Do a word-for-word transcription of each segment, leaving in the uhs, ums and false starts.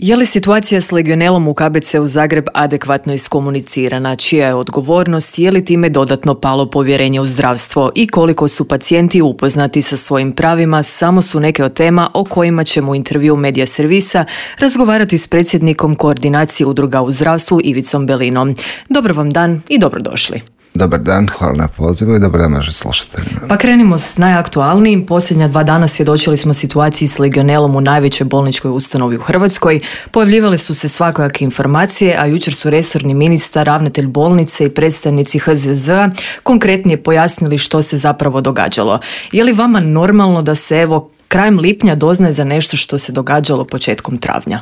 Je li situacija s legionelom u K B C-u Zagreb adekvatno iskomunicirana? Čija je odgovornost? Je li time dodatno palo povjerenje u zdravstvo? I koliko su pacijenti upoznati sa svojim pravima? Samo su neke od tema o kojima ćemo u intervju Medija Servisa razgovarati s predsjednikom Koordinacije udruga u zdravstvu Ivicom Belinom. Dobar vam dan i dobrodošli. Dobar dan, hvala na pozivu i dobar dan našim slušateljima. Pa krenimo s najaktualnijim. Posljednja dva dana svjedočili smo situaciji s legionelom u najvećoj bolničkoj ustanovi u Hrvatskoj. Pojavljivale su se svakojake informacije, a jučer su resorni ministar, ravnatelj bolnice i predstavnici H Z Z-a konkretnije pojasnili što se zapravo događalo. Je li vama normalno da se evo krajem lipnja doznaje za nešto što se događalo početkom travnja?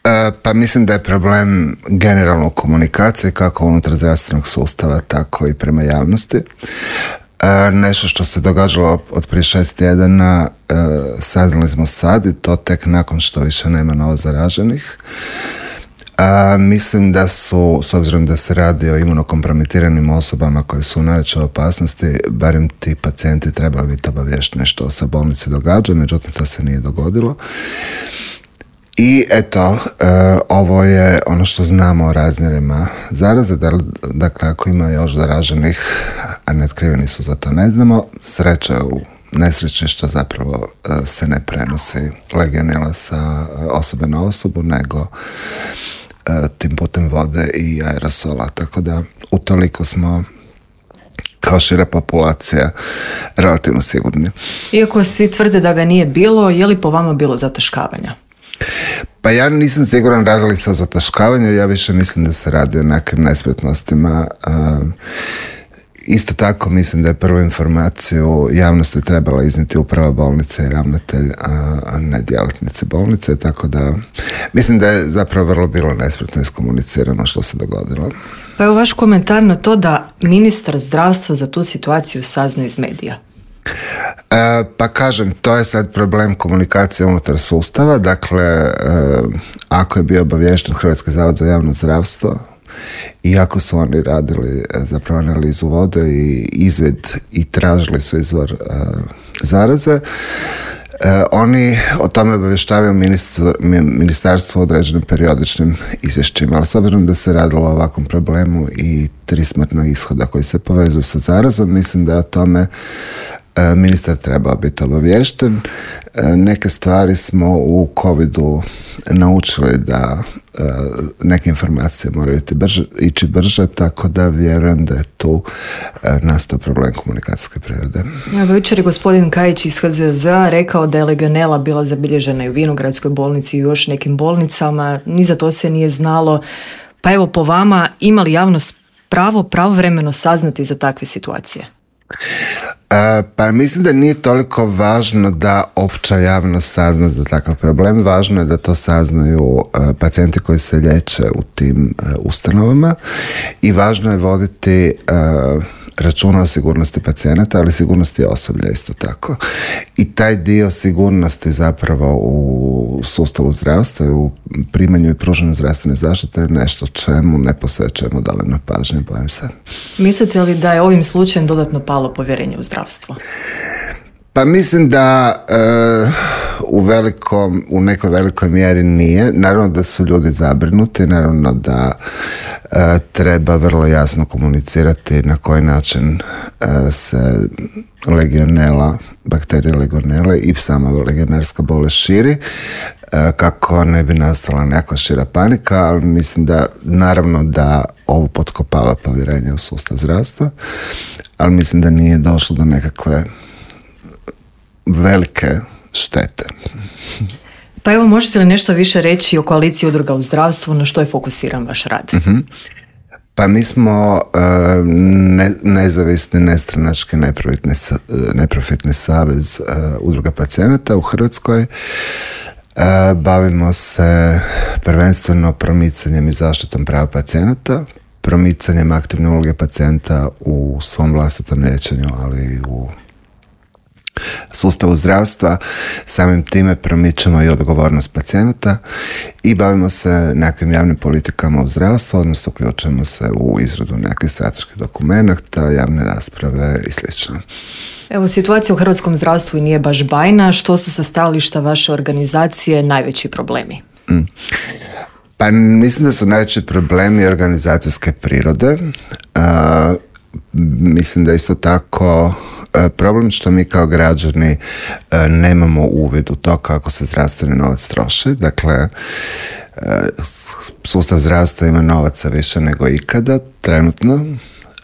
E, pa mislim da je problem generalno u komunikaciji kako unutar zdravstvenog sustava, tako i prema javnosti. E, nešto što se događalo od prije šest tjedana e, saznali smo sad i to tek nakon što više nema novo zaraženih. A, mislim da su, s obzirom da se radi o imunokompromitiranim osobama koje su u najvećoj opasnosti, barem ti pacijenti trebali biti obaviješteni što se u bolnici događa, međutim to se nije dogodilo. I eto, e, ovo je ono što znamo o razmjerima zaraze, dakle ako ima još zaraženih, a neotkriveni su, za to ne znamo. Sreća u nesreći što zapravo e, se ne prenosi legionela sa osobe na osobu, nego e, tim putem vode i aerosola, tako da utoliko smo kao šira populacija relativno sigurni. Iako svi tvrde da ga nije bilo, je li po vama bilo zataškavanja? Pa ja nisam siguran radili se o zataškavanju, ja više mislim da se radi o nekim nespretnostima. Isto tako mislim da je prvu informaciju javnosti trebala iznijeti uprava bolnice i ravnatelj, a ne djelatnici bolnice, tako da mislim da je zapravo vrlo bilo nespretno iskomunicirano što se dogodilo. Pa evo vaš komentar na to da ministar zdravstva za tu situaciju sazna iz medija. E, pa kažem, to je sad problem komunikacije unutar sustava. Dakle, e, ako je bio obaviješten Hrvatski zavod za javno zdravstvo, iako su oni radili e, zapravo analizu vode i izvid i tražili su izvor e, zaraze, e, oni o tome obavještavaju ministar, ministarstvo određenim periodičnim izvješćima, ali s obzirom da se radilo o ovakvom problemu i tri smrtna ishoda koji se povezuju sa zarazom, mislim da o tome ministar trebao biti obaviješten. Neke stvari smo u covidu naučili da neke informacije moraju ići brže, ići brže, tako da vjerujem da je tu nastao problem komunikacijske prirode. Evo, jučer je gospodin Kajić iz H Z Z-a rekao da je legionela bila zabilježena i u Vinogradskoj bolnici i u još nekim bolnicama. Ni za to se nije znalo. Pa evo, po vama, ima li javnost pravo pravovremeno saznati za takve situacije? E, pa mislim da nije toliko važno da opća javnost sazna za takav problem. Važno je da to saznaju e, pacijenti koji se liječe u tim e, ustanovama i važno je voditi e, računa o sigurnosti pacijenata, ali sigurnosti osoblja isto tako. I taj dio sigurnosti zapravo u sustavu zdravstva i u primanju i pružanju zdravstvene zaštite je nešto čemu ne posvećujemo dovoljno pažnje, bojim se. Mislite li da je ovim slučajem dodatno palo povjerenje u zdravstvo? Pa mislim da e, u, velikom, u nekoj velikoj mjeri nije. Naravno da su ljudi zabrinuti, naravno da e, treba vrlo jasno komunicirati na koji način e, se legionela, bakterije legionele i sama legionarska bolest širi, e, kako ne bi nastala neka šira panika, ali mislim da naravno da ovo potkopava povjerenje u sustav zdravstva, ali mislim da nije došlo do nekakve velike štete. Pa evo, možete li nešto više reći o koaliciji udruga u zdravstvu, na što je fokusiran vaš rad? Uh-huh. Pa mi smo uh, ne, nezavisni, nestranački, neprofitni, neprofitni savez uh, udruga pacijenata u Hrvatskoj. Uh, bavimo se prvenstveno promicanjem i zaštitom prava pacijenata, promicanjem aktivne uloge pacijenta u svom vlastitom liječenju, ali i u sustavu zdravstva. Samim time promičemo i odgovornost pacijenata i bavimo se nekakvim javnim politikama u zdravstvu, odnosno uključujemo se u izradu nekakvih strateških dokumenata, javne rasprave i slično. Evo, situacija u hrvatskom zdravstvu i nije baš bajna. Što su sa stajališta vaše organizacije najveći problemi? Mm. Pa mislim da su najveći problemi organizacijske prirode. Uh, mislim da isto tako uh, problem što mi kao građani uh, nemamo uvid u to kako se zdravstveni novac troši. Dakle, uh, sustav zdravstva ima novaca više nego ikada trenutno.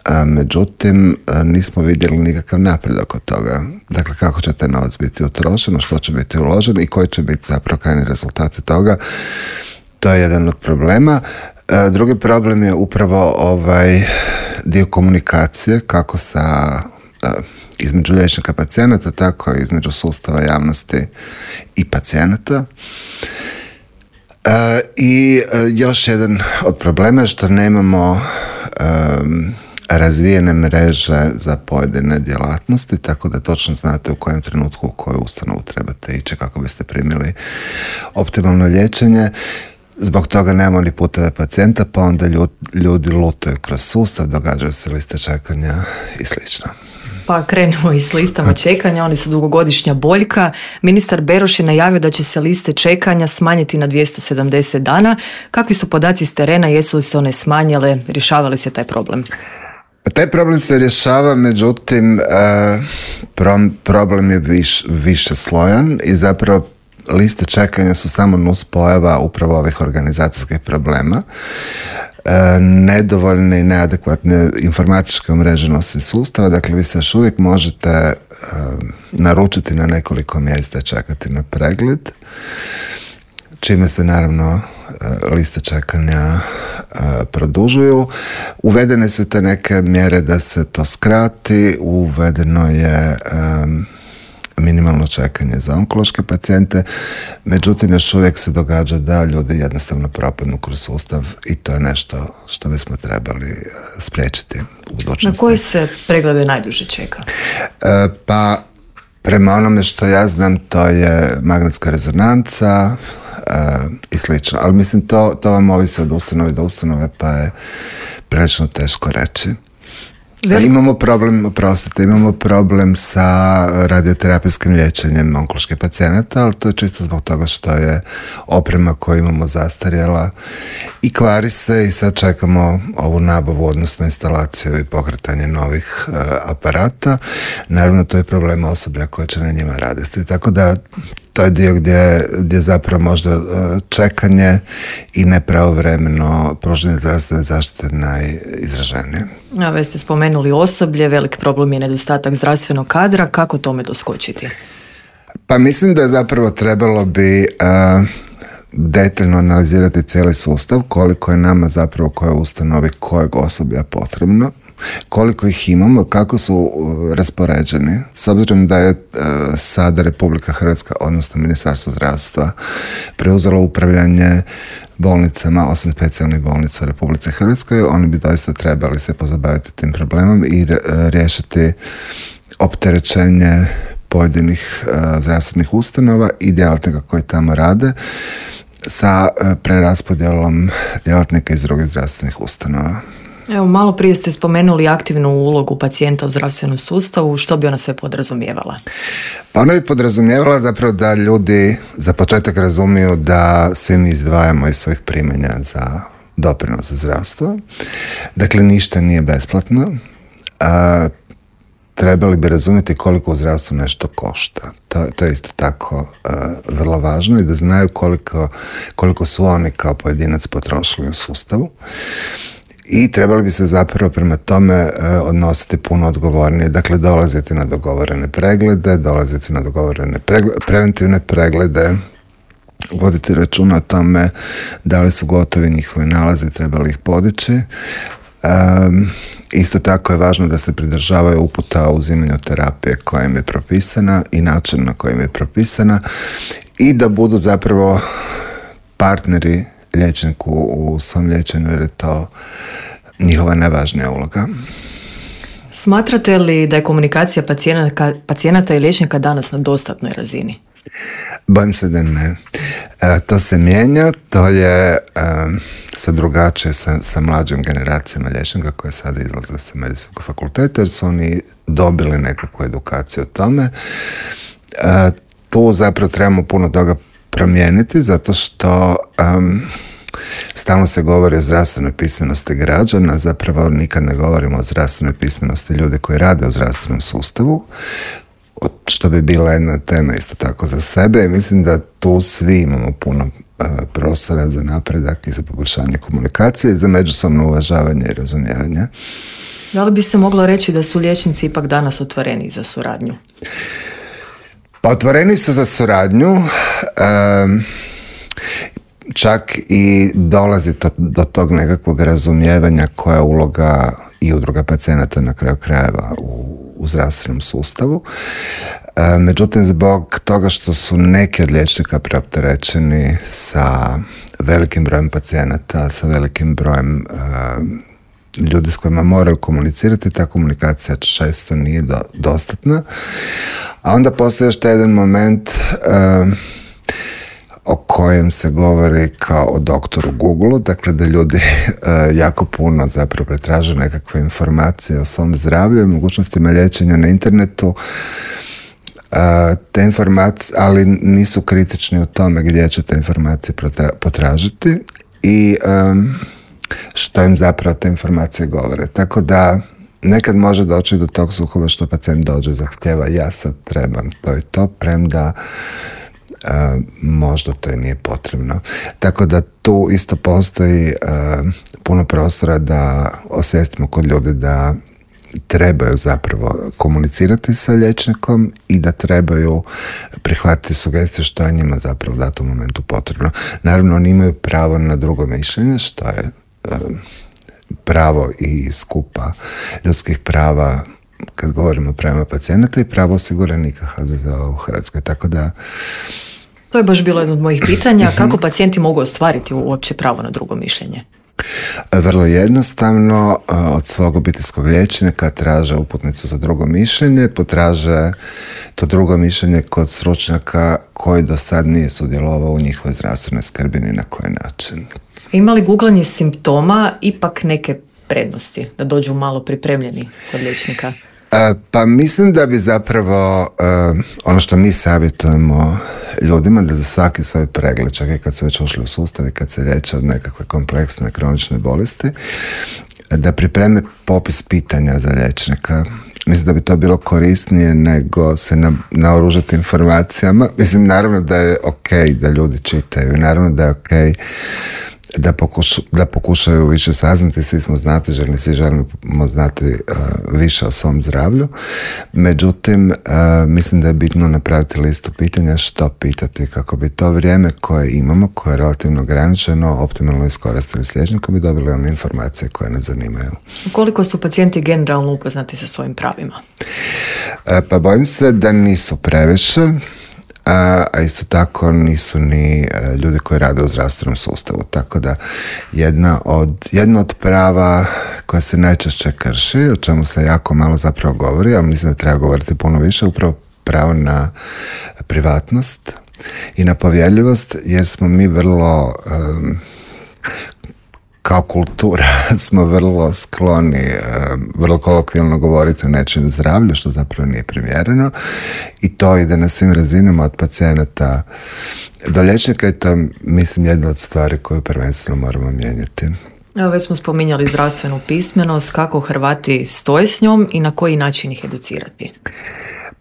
A, međutim, nismo vidjeli nikakav napredak od toga. Dakle, kako će taj novac biti utrošen, što će biti uložen i koji će biti zapravo krajnji rezultati toga. To je jedan od problema. A, drugi problem je upravo ovaj dio komunikacije, kako sa a, između liječnika pacijenata, tako i između sustava javnosti i pacijenata. A, I a, još jedan od problema je što nemamo um, razvijene mreže za pojedine djelatnosti, tako da točno znate u kojem trenutku u koju ustanovu trebate ići kako biste primili optimalno liječenje. Zbog toga nemamo ni puteve pacijenta, pa onda ljudi, ljudi lutaju kroz sustav, događaju se liste čekanja i slično. Pa krenemo i s listama čekanja, oni su dugogodišnja boljka. Ministar Beroš je najavio da će se liste čekanja smanjiti na dvjesto sedamdeset dana. Kakvi su podaci s terena, jesu li se one smanjile, rješava li se taj problem? Taj problem se rješava, međutim, problem je viš, više slojan i zapravo liste čekanja su samo nuspojava upravo ovih organizacijskih problema. Nedovoljne i neadekvatne informatičke umreženosti sustava, dakle vi se još uvijek možete naručiti na nekoliko mjesta i čekati na pregled, čime se naravno liste čekanja produžuju. Uvedene su te neke mjere da se to skrati, uvedeno je um, minimalno čekanje za onkološke pacijente, međutim još uvijek se događa da ljudi jednostavno propadnu kroz sustav i to je nešto što bismo trebali spriječiti u budućnosti. Na koje se preglede najduže čeka? E, pa prema onome što ja znam to je magnetska rezonanca, Uh, i slično, ali mislim to, to vam ovisi od ustanove do ustanove, pa je prilično teško reći. Veliko. Imamo problem, oprostite, imamo problem sa radioterapijskim liječenjem onkoloških pacijenata, ali to je čisto zbog toga što je oprema koju imamo zastarjela i kvari se i sad čekamo ovu nabavu, odnosno instalaciju i pokretanje novih uh, aparata. Naravno, to je problem osoblja koje će na njima raditi. Tako da to je dio gdje, gdje zapravo možda uh, čekanje i nepravovremeno pružanje zdravstvene zaštite najizraženije. A već ste spomenuli osoblje, velik problem je nedostatak zdravstvenog kadra. Kako tome doskočiti? Pa mislim da je zapravo trebalo bi uh, detaljno analizirati cijeli sustav, koliko je nama zapravo koje ustanovi kojeg osoblja potrebno, koliko ih imamo, kako su uh, raspoređeni. S obzirom da je uh, sada Republika Hrvatska, odnosno Ministarstvo zdravstva, preuzelo upravljanje bolnicama, osam specijalnih bolnica u Republici Hrvatskoj, oni bi doista trebali se pozabaviti tim problemom i uh, riješiti opterećenje pojedinih uh, zdravstvenih ustanova i djelatnika koji tamo rade sa uh, preraspodjelom djelatnika iz drugih zdravstvenih ustanova. Evo, malo prije ste spomenuli aktivnu ulogu pacijenta u zdravstvenom sustavu. Što bi ona sve podrazumijevala? Pa ona bi podrazumijevala zapravo da ljudi za početak razumiju da svi mi izdvajamo iz svojih primanja za doprinos za zdravstvo. Dakle, ništa nije besplatno. A, trebali bi razumjeti koliko u zdravstvu nešto košta. To, to je isto tako uh, vrlo važno i da znaju koliko, koliko su oni kao pojedinac potrošili u sustavu. I trebali bi se zapravo prema tome uh, odnositi puno odgovornije. Dakle, dolaziti na dogovorene preglede, dolaziti na dogovorene preglede, preventivne preglede, voditi računa o tome da li su gotovi njihovi nalazi, trebali ih podići. Um, isto tako je važno da se pridržavaju uputa o uzimanju terapije koja im je propisana i način na koji im je propisana i da budu zapravo partneri liječniku u svom liječenju jer je to njihova najvažnija uloga. Smatrate li da je komunikacija pacijenata, pacijenata i liječnika danas na dostatnoj razini? Bojim se da ne. E, to se mijenja, to je e, sa drugačije, sa, sa mlađim generacijama liječnika koje sada izlaze sa medicinskog fakulteta jer su oni dobili nekakvu edukaciju o tome. E, tu zapravo trebamo puno toga promijeniti zato što um, stalno se govori o zdravstvenoj pismenosti građana, zapravo nikad ne govorimo o zdravstvenoj pismenosti ljudi koji rade u zdravstvenom sustavu, što bi bila jedna tema isto tako za sebe i mislim da tu svi imamo puno uh, prostora za napredak i za poboljšanje komunikacije i za međusobno uvažavanje i razumijevanje. Da li bi se moglo reći da su liječnici ipak danas otvoreni za suradnju? Pa otvoreni su za suradnju, um, čak i dolazi to, do tog nekakvog razumijevanja koja je uloga i udruga pacijenata na kraju krajeva u, u zdravstvenom sustavu. E, međutim, zbog toga što su neki od liječnika preopterećeni sa velikim brojem pacijenata, sa velikim brojem e, ljudi s kojima moraju komunicirati, ta komunikacija često nije do, dostatna. A onda postoji još taj jedan moment e, o kojem se govori kao o doktoru Google, dakle da ljudi uh, jako puno zapravo pretražuju nekakve informacije o svom zdravlju i mogućnostima liječenja na internetu, uh, te informacije, ali nisu kritični u tome gdje će te informacije protra- potražiti i um, što im zapravo te informacije govore. Tako da nekad može doći do tog sukoba što pacijent dođe i zahtjeva ja sad trebam to i to, premda Uh, možda to i nije potrebno. Tako da tu isto postoji uh, puno prostora da osvijestimo kod ljudi da trebaju zapravo komunicirati sa liječnikom i da trebaju prihvatiti sugestije što je njima zapravo u datom momentu potrebno. Naravno, oni imaju pravo na drugo mišljenje, što je uh, pravo i skupa ljudskih prava kad govorimo o pravima pacijenata i pravo osiguranika H Z Z O u Hrvatskoj. Tako da to je baš bilo jedno od mojih pitanja. Kako pacijenti mogu ostvariti uopće pravo na drugo mišljenje? Vrlo jednostavno, od svog obiteljskog liječnika traže uputnicu za drugo mišljenje, potraže to drugo mišljenje kod stručnjaka koji do sad nije sudjelovao u njihovoj zdravstvenoj skrbi ni na koji način. Ima li googlanje simptoma ipak neke prednosti, da dođu malo pripremljeni kod liječnika? Pa mislim da bi zapravo ono što mi savjetujemo ljudima da za svaki svoj pregled, čak i kad su već ušli u sustav i kad se liječe od nekakve kompleksne kronične bolesti, da pripreme popis pitanja za liječnika. Mislim da bi to bilo korisnije nego se na, naoružati informacijama. Mislim, naravno da je ok da ljudi čitaju i naravno da je ok Da, pokuš, da pokušaju više saznati, svi smo znatiželjni, svi želimo znati uh, više o svom zdravlju. Međutim, uh, mislim da je bitno napraviti listu pitanja što pitati kako bi to vrijeme koje imamo, koje je relativno ograničeno, optimalno iskoristili s liječnikom i dobili one informacije koje nas zanimaju. Koliko su pacijenti generalno upoznati sa svojim pravima? Uh, pa bojim se da nisu previše. A, a isto tako nisu ni uh, ljudi koji rade u zdravstvenom sustavu. Tako da jedna od, jedna od prava koja se najčešće krši, o čemu se jako malo zapravo govori, ali mislim da treba govoriti puno više, upravo pravo na privatnost i na povjerljivost, jer smo mi vrlo um, kao kultura smo vrlo skloni, vrlo kolokvijalno govoriti o nečijem zdravlju, što zapravo nije primjereno i to ide na svim razinama od pacijenata do liječnika i to je, mislim, jedna od stvari koju prvenstveno moramo mijenjati. Evo, već smo spominjali zdravstvenu pismenost, kako Hrvati stoje s njom i na koji način ih educirati?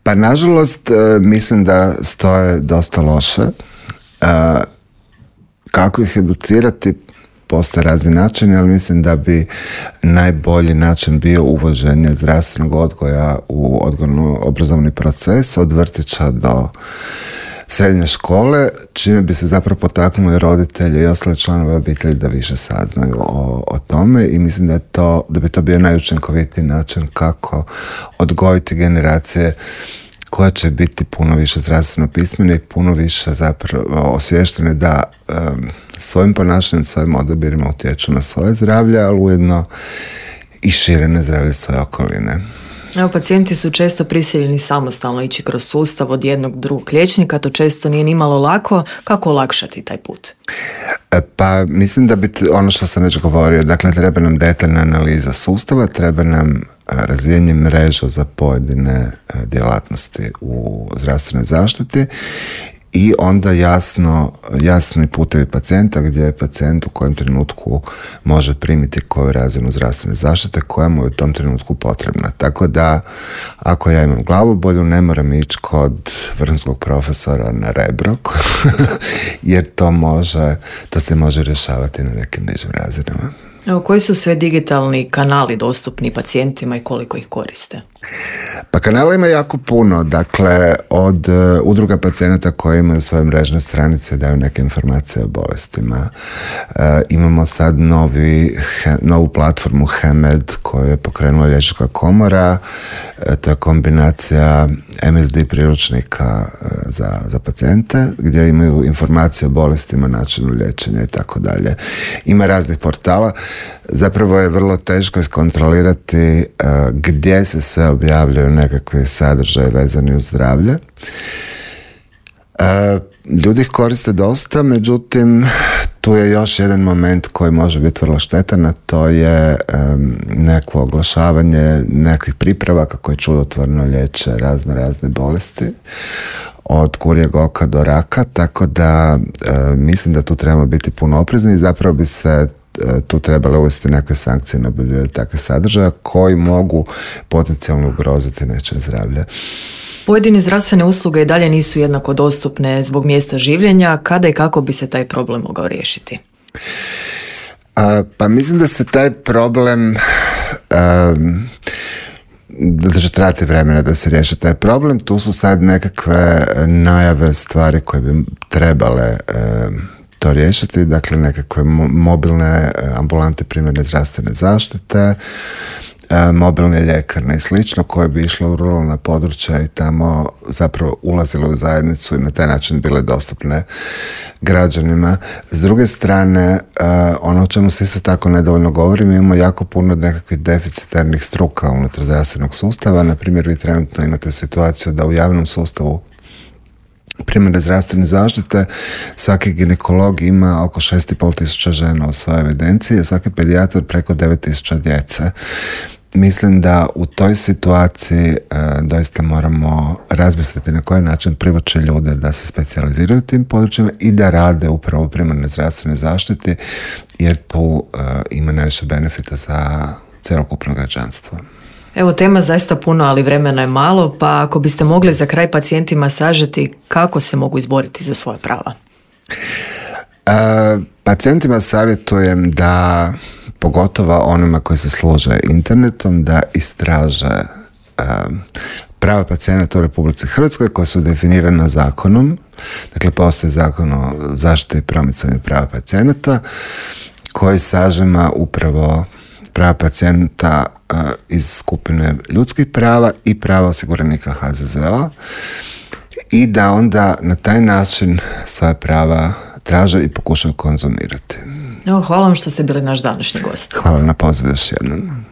Pa nažalost mislim da stoje dosta loše. Kako ih educirati? Postoje razni načini, ali mislim da bi najbolji način bio uvođenje zdravstvenog odgoja u odgojno-obrazovni proces od vrtića do srednje škole, čime bi se zapravo potaknuli roditelji i ostale članove obitelji da više saznaju o, o tome i mislim da, je to, da bi to bio najučinkovitiji način kako odgojiti generacije koja će biti puno više zdravstveno pismene i puno više zapravo osviještene da um, svojim ponašanjem, svojim odabirima utječu na svoje zdravlje, ali ujedno i šire na zdravlje svoje okoline. Evo, pacijenti su često prisiljeni samostalno ići kroz sustav od jednog drugog liječnika, to često nije ni malo lako. Kako olakšati taj put? Pa mislim da bi ono što sam već govorio, dakle treba nam detaljna analiza sustava, treba nam razvijenje mreža za pojedine djelatnosti u zdravstvenoj zaštiti i onda jasno, jasni putevi pacijenta gdje je pacijent u kojem trenutku može primiti koju razinu zdravstvene zaštite koja mu je u tom trenutku potrebna. Tako da ako ja imam glavobolju ne moram ići kod vrhunskog profesora na Rebro jer to može, to se može rješavati na nekim nižim razinama. Evo, koji su sve digitalni kanali dostupni pacijentima i koliko ih koriste? Pa kanala ima jako puno, dakle od uh, udruga pacijenata koji imaju svoje mrežne stranice, daju neke informacije o bolestima. Uh, imamo sad novi, he, novu platformu Hemed koju je pokrenula Liječnička komora, uh, to je kombinacija M S D priručnika uh, za, za pacijente gdje imaju informacije o bolestima, načinu liječenja i tako dalje. Ima raznih portala. Zapravo je vrlo teško iskontrolirati uh, gdje se sve objavljaju nekakve sadržaje vezani uz zdravlje. Uh, ljudi ih koriste dosta, međutim tu je još jedan moment koji može biti vrlo štetan, a to je um, neko oglašavanje nekakvih pripravaka koji čudotvorno liječe razno razne bolesti od kurjeg oka do raka, tako da uh, mislim da tu trebamo biti puno oprezni i zapravo bi se tu trebalo uvesti neke sankcije na objavljivanje takve sadržaja koji mogu potencijalno ugroziti nečije zdravlje. Pojedine zdravstvene usluge i dalje nisu jednako dostupne zbog mjesta življenja. Kada i kako bi se taj problem mogao riješiti? A, pa mislim da se taj problem um, da će trajati vremena da se riješi taj problem. Tu su sad nekakve najave stvari koje bi trebale um, to riješiti, dakle nekakve mobilne ambulante primarne zdravstvene zaštite, mobilne ljekarne i slično koje bi išle u ruralna područja i tamo zapravo ulazile u zajednicu i na taj način bile dostupne građanima. S druge strane, ono o čemu se isto tako nedovoljno govori, mi imamo jako puno nekakvih deficitarnih struka unutar zdravstvenog sustava. Na primjer, vi trenutno imate situaciju da u javnom sustavu primarne zdravstvene zaštite svaki ginekolog ima oko šest i pol tisuća žena u svojoj evidenciji, a svaki pedijatar preko devet tisuća djece. Mislim da u toj situaciji e, doista moramo razmisliti na koji način privući ljude da se specijaliziraju tim područjima i da rade upravo u primarnoj zdravstvenoj zaštiti, jer tu e, ima najviše benefita za cjelokupno građanstvo. Evo, tema zaista puno, ali vremena je malo, pa ako biste mogli za kraj pacijentima sažeti kako se mogu izboriti za svoja prava? E, pacijentima savjetujem da, pogotovo onima koji se služe internetom, da istraže e, prava pacijenata u Republici Hrvatskoj koja su definirana zakonom. Dakle, postoji zakon o zaštiti i promicanju prava pacijenata koji sažima upravo prava pacijenta uh, iz skupine ljudskih prava i prava osiguranika H Z Z O i da onda na taj način svoja prava traže i pokušaju konzumirati. Evo, hvala vam što ste bili naš današnji gost. Hvala na pozivu još jednom.